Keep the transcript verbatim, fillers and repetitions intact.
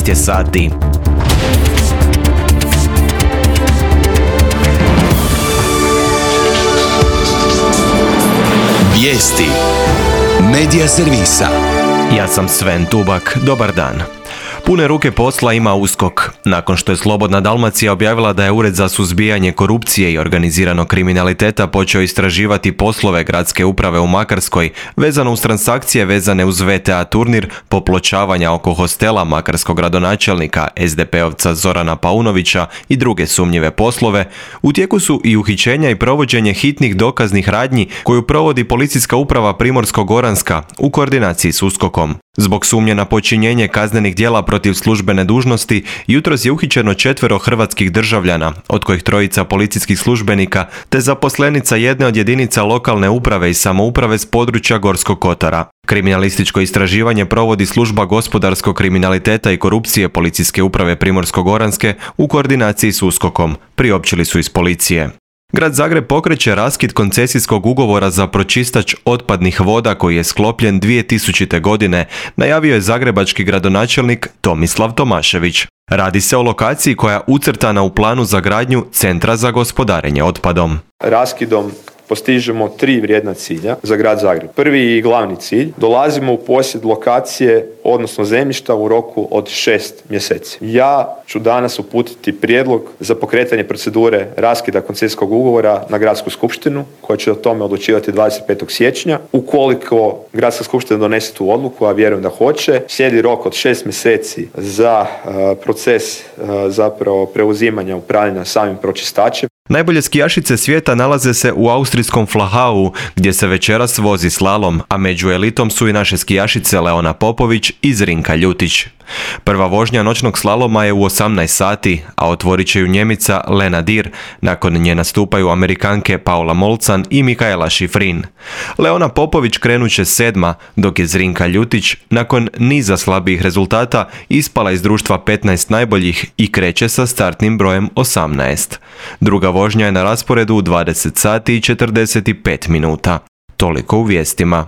jedanaest je sati. Vijesti Medija servisa. Ja sam Sven Tubak, dobar dan. Pune ruke posla ima USKOK. Nakon što je Slobodna Dalmacija objavila da je Ured za suzbijanje korupcije i organiziranog kriminaliteta počeo istraživati poslove gradske uprave u Makarskoj vezano uz transakcije vezane uz V T A turnir, popločavanja oko hostela makarskog gradonačelnika es de peovca Zorana Paunovića i druge sumnjive poslove, u tijeku su i uhićenja i provođenje hitnih dokaznih radnji koju provodi Policijska uprava Primorsko-goranska u koordinaciji s USKOK-om. Zbog sumnje na počinjenje kaznenih djela protiv službene dužnosti, jutros je uhićeno četvero hrvatskih državljana, od kojih trojica policijskih službenika, te zaposlenica jedne od jedinica lokalne uprave i samouprave s područja Gorskog kotara. Kriminalističko istraživanje provodi Služba gospodarskog kriminaliteta i korupcije Policijske uprave Primorsko-goranske u koordinaciji s USKOK-om, priopćili su iz policije. Grad Zagreb pokreće raskid koncesijskog ugovora za pročistač otpadnih voda koji je sklopljen dvije tisućite. godine, najavio je zagrebački gradonačelnik Tomislav Tomašević. Radi se o lokaciji koja je ucrtana u planu za gradnju Centra za gospodarenje otpadom. Raskidom postižemo tri vrijedna cilja za grad Zagreb. Prvi i glavni cilj, dolazimo u posjed lokacije, odnosno zemljišta u roku od šest mjeseci. Ja ću danas uputiti prijedlog za pokretanje procedure raskida koncesijskog ugovora na gradsku skupštinu, koja će o tome odlučivati dvadeset petog siječnja. Ukoliko gradska skupština donese tu odluku, a vjerujem da hoće, slijedi rok od šest mjeseci za uh, proces uh, zapravo preuzimanja upravljanja samim pročistačem. Najbolje skijašice svijeta nalaze se u austrijskom Flachau, gdje se večeras vozi slalom, a među elitom su i naše skijašice Leona Popović i Zrinka Ljutić. Prva vožnja noćnog slaloma je u osamnaest sati, a otvorit će ju Njemica Lena Dir. Nakon nje nastupaju Amerikanke Paula Molcan i Mikaela Šifrin. Leona Popović krenut će sedma, dok je Zrinka Ljutić nakon niza slabijih rezultata ispala iz društva petnaest najboljih i kreće sa startnim brojem osamnaest. Druga vožnja je na rasporedu u dvadeset sati i četrdeset pet minuta. Toliko u vijestima.